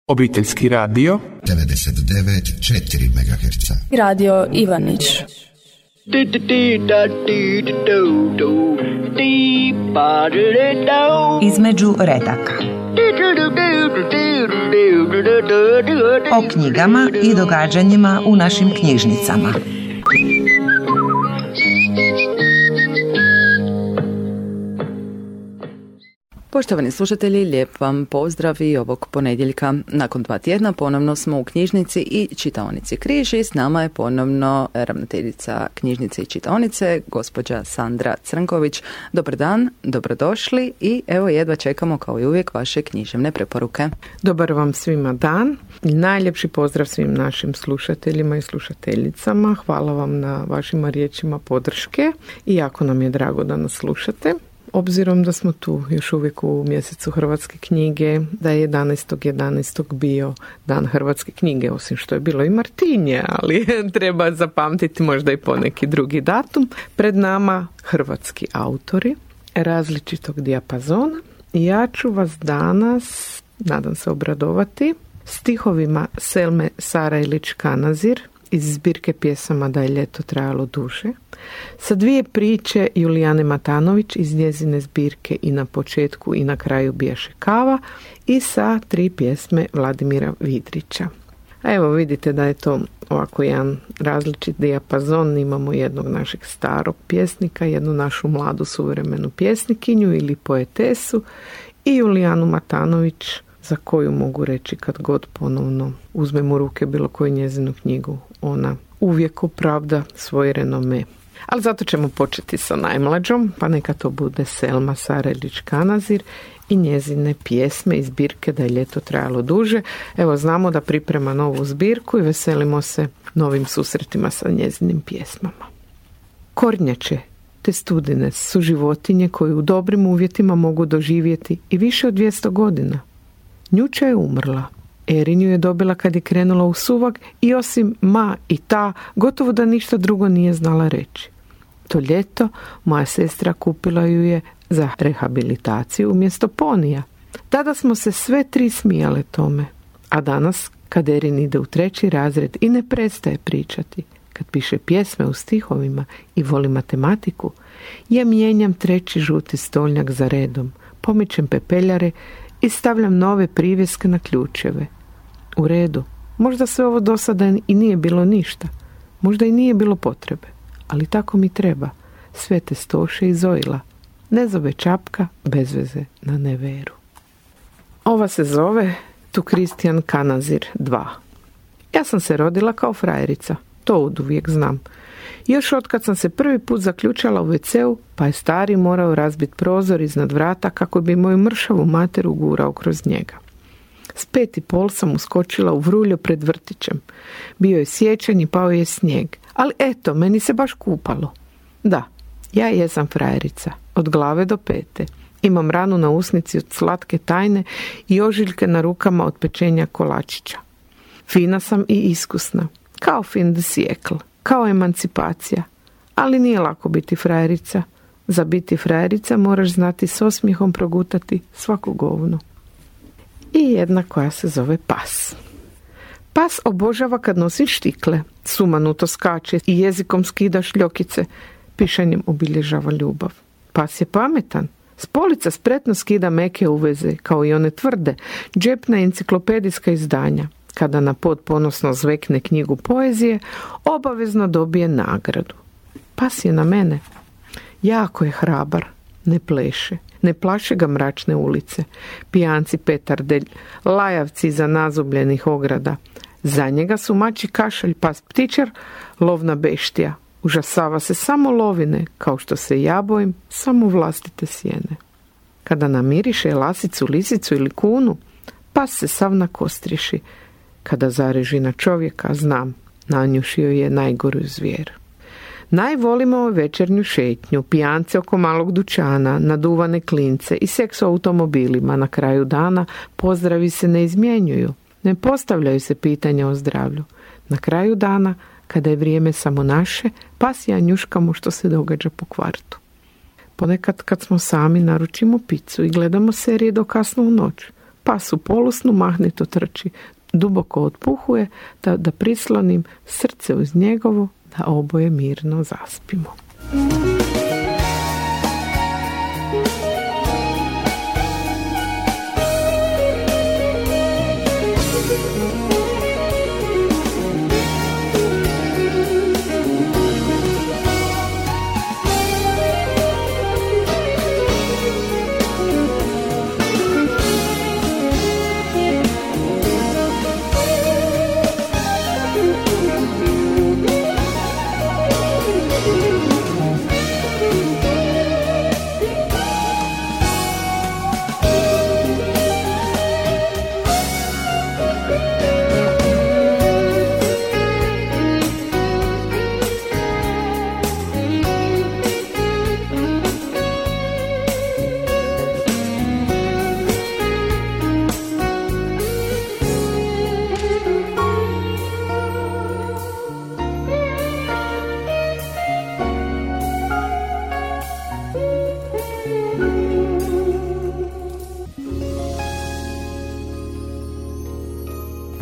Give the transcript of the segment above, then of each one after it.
Obiteljski radio 99,4 MHz. Radio Ivanić. Između redaka. O knjigama i događanjima u našim knjižnicama. Poštovani slušatelji, lijep vam pozdrav i ovog ponedjeljka. Nakon 2 tjedna ponovno smo u knjižnici i čitaonici Križ i s nama je ponovno ravnateljica knjižnice i čitaonice, gospođa Sandra Crnković. Dobar dan, dobrodošli i evo jedva čekamo kao i uvijek vaše književne preporuke. Dobar vam svima dan i najljepši pozdrav svim našim slušateljima i slušateljicama. Hvala vam na vašima riječima podrške i jako nam je drago da nas slušate. Obzirom da smo tu još uvijek u mjesecu Hrvatske knjige, da je 11.11. bio dan Hrvatske knjige, osim što je bilo i Martinje, ali treba zapamtiti možda i poneki drugi datum. Pred nama hrvatski autori različitog dijapazona i ja ću vas danas, nadam se, obradovati stihovima Selme Sarajlić-Kanazir iz zbirke pjesama Da je ljeto trajalo duže, sa 2 priče Julijane Matanović iz njezine zbirke I na početku i na kraju bijaše kava i sa 3 pjesme Vladimira Vidrića. A evo vidite da je to ovako jedan različit dijapazon. Imamo jednog našeg starog pjesnika, jednu našu mladu suvremenu pjesnikinju ili poetesu i Julijanu Matanović, za koju mogu reći kad god ponovno uzmem u ruke bilo koju njezinu knjigu, ona uvijek opravda svoj renome. Ali zato ćemo početi sa najmlađom, pa neka to bude Selma Sarajlić-Kanazir i njezine pjesme iz zbirke Da je ljeto trajalo duže. Evo, znamo da priprema novu zbirku i veselimo se novim susretima sa njezinim pjesmama. Kornjače te studine su životinje koje u dobrim uvjetima mogu doživjeti i više od 200 godina. Njuča je umrla. Erinju je dobila kad je krenula u suvak i osim ma i ta, gotovo da ništa drugo nije znala reći. To ljeto moja sestra kupila ju je za rehabilitaciju umjesto ponija. Tada smo se sve 3 smijale tome. A danas, kad Erin ide u 3. razred i ne prestaje pričati, kad piše pjesme u stihovima i voli matematiku, ja mijenjam 3. žuti stolnjak za redom, pomičem pepeljare i stavljam nove privjeske na ključeve. U redu, možda sve ovo do sada i nije bilo ništa, možda i nije bilo potrebe, ali tako mi treba. Svete Stoše i Zojla, ne zove čapka bez veze na neveru. Ova se zove Tu Kristijan Kanazir 2. Ja sam se rodila kao frajerica, to oduvijek znam. Još otkad sam se prvi put zaključala u WC-u, pa je stari morao razbiti prozor iznad vrata kako bi moju mršavu materu gurao kroz njega. S 5,5 sam uskočila u vruljo pred vrtićem. Bio je siječanj i pao je snijeg, ali eto, meni se baš kupalo. Da, ja jesam frajerica, od glave do pete. Imam ranu na usnici od slatke tajne i ožiljke na rukama od pečenja kolačića. Fina sam i iskusna, kao fin de siècle. Kao emancipacija, ali nije lako biti frajerica. Za biti frajerica moraš znati s osmijehom progutati svaku govnu. I jedna koja se zove Pas. Pas obožava kad nosi štikle, sumanuto skače i jezikom skida šljokice, pišanjem obilježava ljubav. Pas je pametan, s polica spretno skida meke uveze, kao i one tvrde, džepna enciklopedijska izdanja. Kada na pod ponosno zvekne knjigu poezije, obavezno dobije nagradu. Pas je na mene. Jako je hrabar, ne pleše. Ne plaše ga mračne ulice, pijanci petarde, lajavci iza nazubljenih ograda. Za njega su mači kašalj, pas ptičar, lovna beštija. Užasava se samo lovine, kao što se ja bojim samo vlastite sjene. Kada namiriše lasicu, lisicu ili kunu, pas se sav nakostriši. Kada zareži na čovjeka, znam, nanjušio je najgoru zvijer. Najvolimo večernju šetnju, pijance oko malog dućana, naduvane klince i seks u automobilima. Na kraju dana pozdravi se ne izmjenjuju, ne postavljaju se pitanja o zdravlju. Na kraju dana, kada je vrijeme samo naše, pas i ja njuškamo što se događa po kvartu. Ponekad kad smo sami naručimo picu i gledamo serije do kasno u noć. pas u polusnu mahnito trči, duboko otpuhuje, da prislonim srce uz njegovo, da oboje mirno zaspimo.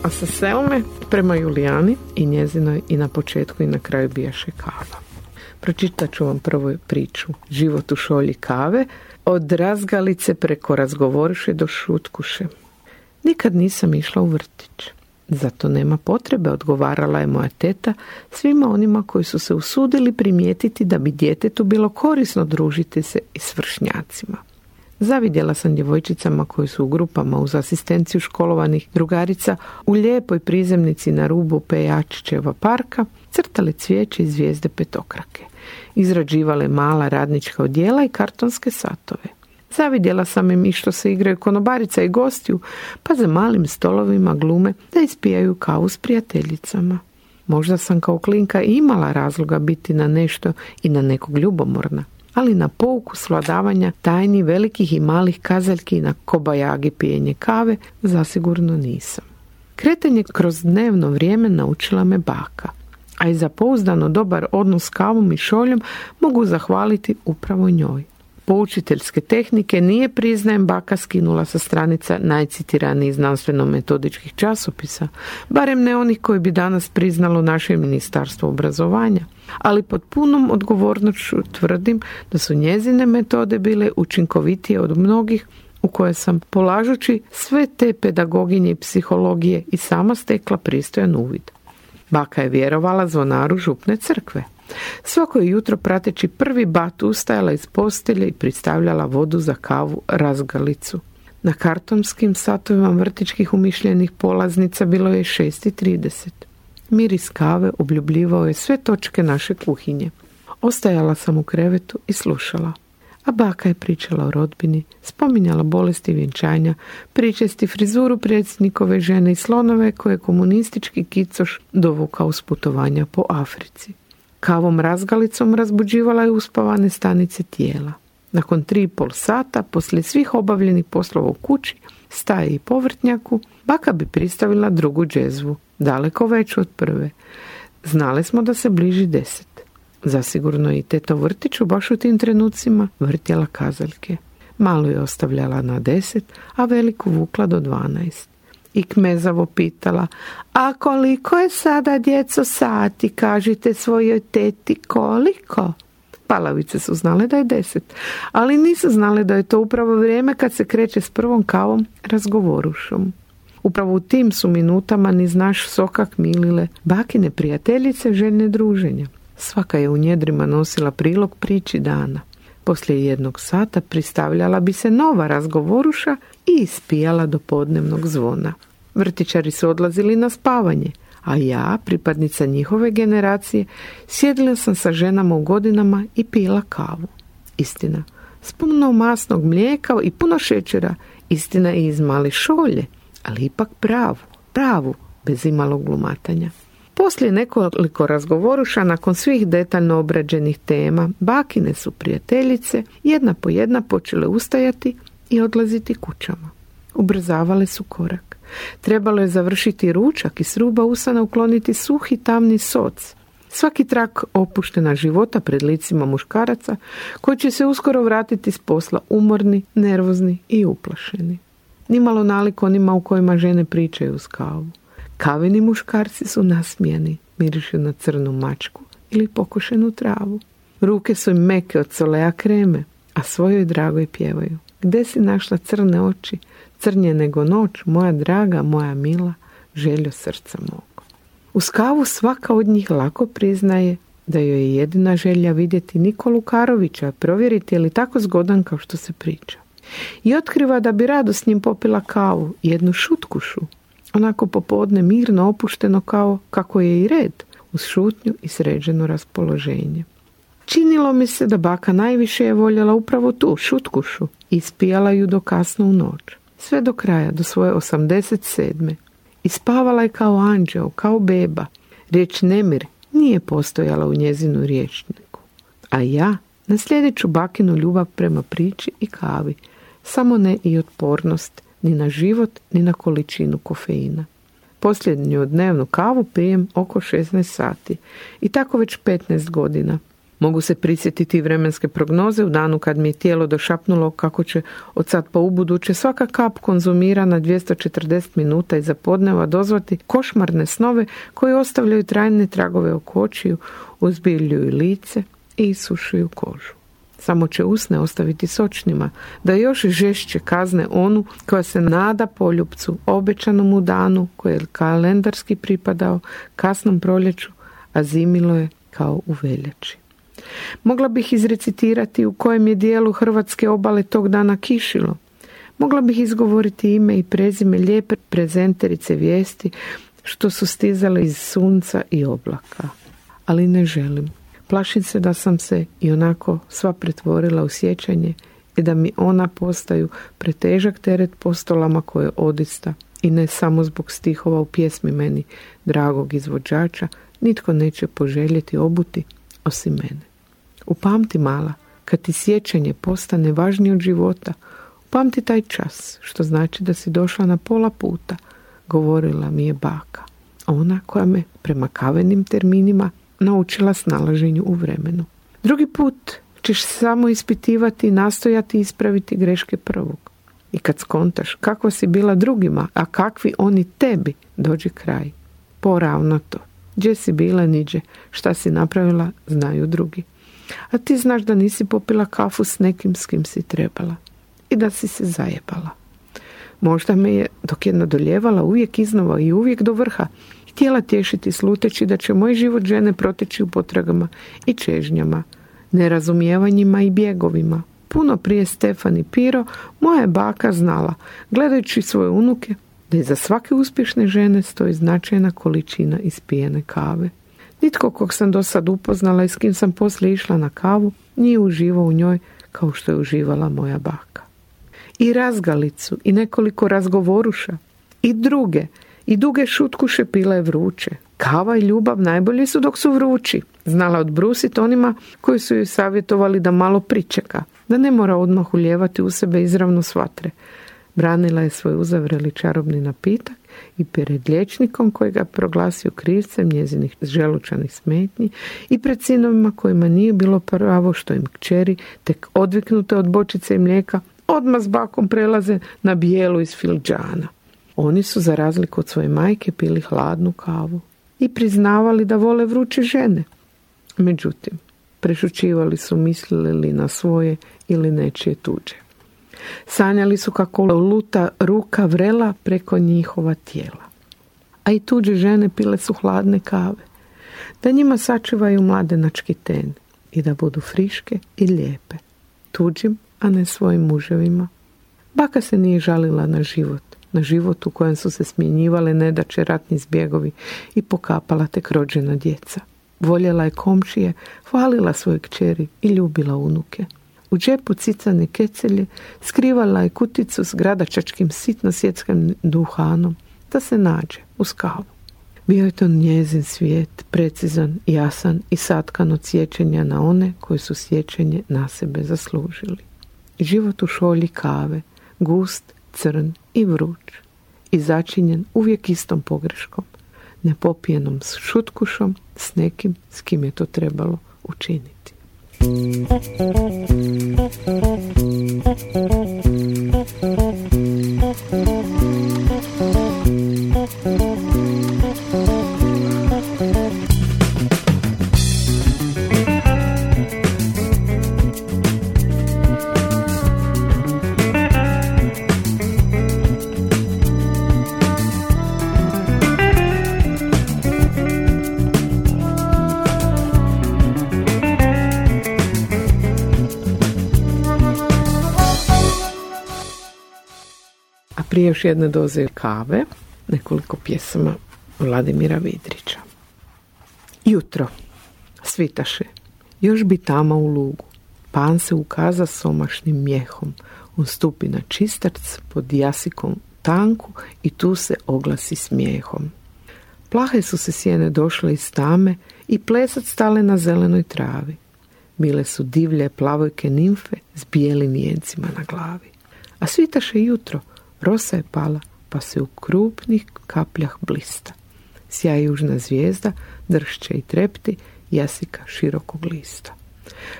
A sa Selme prema Julijani i njezinoj i na početku i na kraju bijaše kava. Pročitat ću vam prvo priču Život u šolji kave, od razgalice preko razgovoriše do šutkuše. Nikad nisam išla u vrtić. Zato nema potrebe, odgovarala je moja teta svima onima koji su se usudili primijetiti da bi djetetu bilo korisno družiti se i s vršnjacima. Zavidjela sam djevojčicama koji su u grupama uz asistenciju školovanih drugarica u lijepoj prizemnici na rubu Pejačićeva parka crtale cvijeće i zvijezde petokrake. Izrađivale mala radnička odjela i kartonske satove. Zavidjela sam im i što se igraju konobarica i gostiju, pa za malim stolovima glume da ispijaju kavu s prijateljicama. Možda sam kao klinka imala razloga biti na nešto i na nekog ljubomorna, ali na pouku svladavanja tajni velikih i malih kazaljki i na kobajagi pijenje kave zasigurno nisam. Kretanje kroz dnevno vrijeme naučila me baka, a i za pouzdano dobar odnos s kavom i šoljom mogu zahvaliti upravo njoj. Poučiteljske tehnike nije, priznajem, baka skinula sa stranica najcitiranijih znanstveno-metodičkih časopisa, barem ne onih koji bi danas priznalo naše ministarstvo obrazovanja, ali pod punom odgovornošću tvrdim da su njezine metode bile učinkovitije od mnogih u koje sam, polažući sve te pedagoginje i psihologije, i sama stekla pristojan uvid. Baka je vjerovala zvonaru župne crkve. Svako je jutro prateći prvi bat ustajala iz postelje i pristavljala vodu za kavu razgalicu. Na kartonskim satovima vrtičkih umišljenih polaznica bilo je 6:30. Miris kave obljubljivao je sve točke naše kuhinje. Ostajala sam u krevetu i slušala. A baka je pričala o rodbini, spominjala bolesti vjenčanja, pričesti frizuru predsjednikove žene i slonove koje je komunistički kicoš dovukao s putovanja po Africi. Kavom razgalicom razbuđivala je uspavane stanice tijela. Nakon 3,5 sata, poslije svih obavljenih poslova u kući, staje i povrtnjaku, baka bi pristavila drugu džezvu, daleko veću od prve. Znali smo da se bliži 10. Zasigurno i teta u vrtiću baš u tim trenucima vrtjela kazaljke. Malo je ostavljala na 10, a veliku vukla do 12. I kmezavo pitala: a koliko je sada, djeco, sati? Kažite svojoj teti koliko? Palavice su znale da je 10, ali nisu znale da je to upravo vrijeme kad se kreće s prvom kavom razgovorušom. Upravo u tim su minutama niz naš sokak milile bakine prijateljice željne druženja. Svaka je u njedrima nosila prilog priči dana. Poslije 1 sata pristavljala bi se nova razgovoruša i ispijala do podnevnog zvona. Vrtićari su odlazili na spavanje, a ja, pripadnica njihove generacije, sjedila sam sa ženama u godinama i pila kavu. Istina, s puno masnog mlijeka i puno šećera, istina i iz male šolje, ali ipak pravu, bez imalog glumatanja. Poslije nekoliko razgovoruša, nakon svih detaljno obrađenih tema, bakine su prijateljice jedna po jedna počele ustajati i odlaziti kućama. Ubrzavale su korak. Trebalo je završiti ručak i s ruba usana ukloniti suhi tamni soc. Svaki trak opuštena života pred licima muškaraca koji će se uskoro vratiti s posla umorni, nervozni i uplašeni. nimalo nalik onima u kojima žene pričaju uz kavu. Kaveni muškarci su nasmijeni, mirišu na crnu mačku ili pokošenu travu. Ruke su im meke od solea kreme, a svojoj dragoj pjevaju. Gde si našla crne oči, crnje nego noć, moja draga, moja mila, željo srca mog. Uz kavu svaka od njih lako priznaje da joj je jedina želja vidjeti Nikolu Karovića, provjeriti je li tako zgodan kao što se priča. I otkriva da bi rado s njim popila kavu, jednu šutkušu, onako popodne mirno opušteno kao kako je i red, uz šutnju i sređeno raspoloženje. Činilo mi se da baka najviše je voljela upravo tu šutkušu i ispijala ju do kasno u noć, sve do kraja, do svoje 87. I spavala je kao anđeo, kao beba. Riječ nemir nije postojala u njezinu rječniku. A ja na sljedeću bakinu ljubav prema priči i kavi, samo ne i otpornost, ni na život, ni na količinu kofeina. Posljednju dnevnu kavu pijem oko 16 sati i tako već 15 godina. Mogu se prisjetiti vremenske prognoze u danu kad mi je tijelo došapnulo kako će od sad pa ubuduće svaka kap konzumirana 240 minuta iza podneva dozvati košmarne snove koje ostavljaju trajne tragove oko očiju, uzbiljuju lice i isušuju kožu. Samo će usne ostaviti sočnima, da još žešće kazne onu koja se nada poljupcu, obećanom u danu koji je kalendarski pripadao kasnom proljeću, a zimilo je kao u veljači. Mogla bih izrecitirati u kojem je dijelu hrvatske obale tog dana kišilo. Mogla bih izgovoriti ime i prezime lijepe prezenterice vijesti što su stizale iz sunca i oblaka. Ali ne želim. Plašim se da sam se i onako sva pretvorila u sjećanje i da mi ona postaju pretežak teret postolama koje odista i ne samo zbog stihova u pjesmi meni dragog izvođača nitko neće poželjeti obuti osim mene. Upamti mala, kad ti sjećanje postane važnije od života, upamti taj čas, što znači da si došla na pola puta, govorila mi je baka. Ona koja me prema kavenim terminima naučila snalaženju u vremenu. Drugi put ćeš samo ispitivati i nastojati ispraviti greške prvog. I kad skontaš kakva si bila drugima, a kakvi oni tebi, dođe kraj. Poravno to. Gdje si bila niđe, šta si napravila, znaju drugi. A ti znaš da nisi popila kafu s nekim s kim si trebala. I da si se zajebala. Možda me je, dok je nadoljevala uvijek iznova i uvijek do vrha, htjela tješiti sluteći da će moj život žene proteći u potragama i čežnjama, nerazumijevanjima i bjegovima. Puno prije Stefani Piro, moja je baka znala, gledajući svoje unuke, da iza svake uspješne žene stoji značajna količina ispijene kave. Nitko kog sam do sad upoznala i s kim sam poslije išla na kavu, nije uživao u njoj kao što je uživala moja baka. I razgalicu, i nekoliko razgovoruša, i duge šutkuše pila je vruće. Kava i ljubav najbolji su dok su vrući. Znala odbrusiti onima koji su joj savjetovali da malo pričeka, da ne mora odmah ulijevati u sebe izravno s vatre. Branila je svoj uzavreli čarobni napitak i pred liječnikom koji ga proglasio krivcem njezinih želučanih smetnji i pred sinovima kojima nije bilo pravo što im kćeri, tek odviknute od bočice i mlijeka, odmah s bakom prelaze na bijelu iz fildžana. Oni su, za razliku od svoje majke, pili hladnu kavu i priznavali da vole vruće žene. Međutim, prešućivali su mislili li na svoje ili nečije tuđe. Sanjali su kako luta ruka vrela preko njihova tijela. A i tuđe žene pile su hladne kave, da njima sačuvaju mladenački ten i da budu friške i lijepe, tuđim, a ne svojim muževima. Baka se nije žalila na život u kojem su se smjenjivale nedaće, ratni zbjegovi i pokapala tek rođena djeca. Voljela je komšije, hvalila svoje kćeri i ljubila unuke. U džepu cicane kecelje skrivala je kuticu s gradačačkim sitno svjetskim duhanom da se nađe uz kavu. Bio je to njezin svijet, precizan, jasan i satkan od sjećanja na one koji su sjećanje na sebe zaslužili. Život u šolji kave, gust, crn i vruć i začinjen uvijek istom pogreškom, nepopijenom s šutkušom, s nekim s kim je to trebalo učiniti. Prije još jedne doze kave, nekoliko pjesama Vladimira Vidrića. Jutro, svitaše, još bi tama u lugu. Pan se ukaza somašnim mjehom. On stupi na čistac pod jasikom tanku i tu se oglasi smijehom. Plahe su se sjene došle iz tame i plesat stale na zelenoj travi. Bile su divlje plavojke nimfe s bijelim vijencima na glavi. A svitaše jutro, rosa je pala, pa se u krupnih kapljah blista. Sja južna zvijezda, dršće i trepti, jasika širokog lista.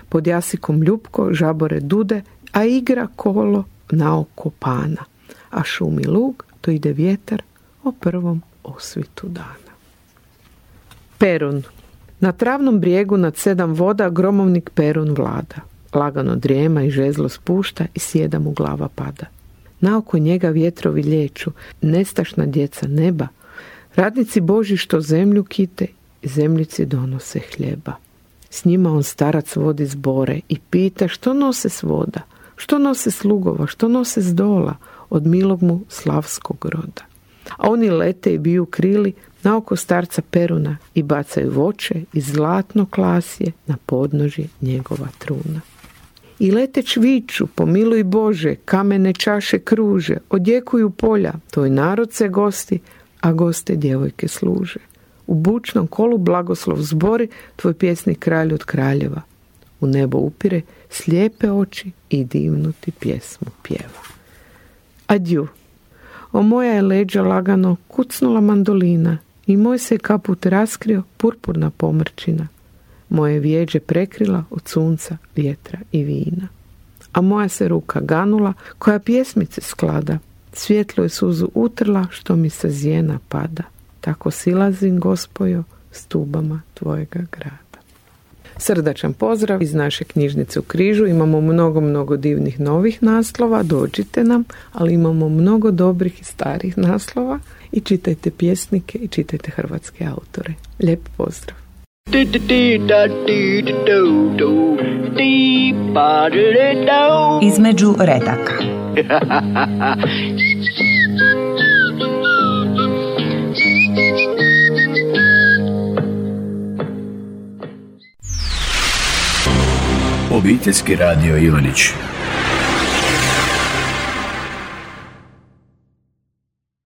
Pod jasikom ljupko žabore dude, a igra kolo na oko pana. A šumi lug, to ide vjetar o prvom osvitu dana. Perun. Na travnom brijegu nad 7 voda gromovnik Perun vlada. Lagano drijema i žezlo spušta i sjeda mu glava pada. Naoko njega vjetrovi lijeću, nestašna djeca neba. Radnici Božji što zemlju kite, zemljici donose hljeba. S njima on starac vodi zbore i pita što nose s voda, što nose s lugova, što nose s dola od milog mu slavskog roda. A oni lete i biju krili naoko starca Peruna i bacaju voće i zlatno klasje na podnožje njegova truna. I leteć viču, pomiluj Bože, kamene čaše kruže, odjekuju polja, tvoj narod se gosti, a goste djevojke služe. U bučnom kolu blagoslov zbori, tvoj pjesnik kralj od kraljeva. U nebo upire slijepe oči i divnu ti pjesmu pjeva. Adju. O moja je leđa lagano kucnula mandolina i moj se kaput raskrio purpurna pomrčina. Moje vjeđe prekrila od sunca, vjetra i vina. A moja se ruka ganula koja pjesmice sklada. Svjetlo je suzu utrla što mi sa zjena pada. Tako silazim, Gospojo, stubama tvojega grada. Srdačan pozdrav iz naše knjižnice u Križu. Imamo mnogo divnih novih naslova. Dođite nam, ali imamo mnogo dobrih i starih naslova. I čitajte pjesnike i čitajte hrvatske autore. Lijep pozdrav. Između redaka. Obiteljski radio Ivanić.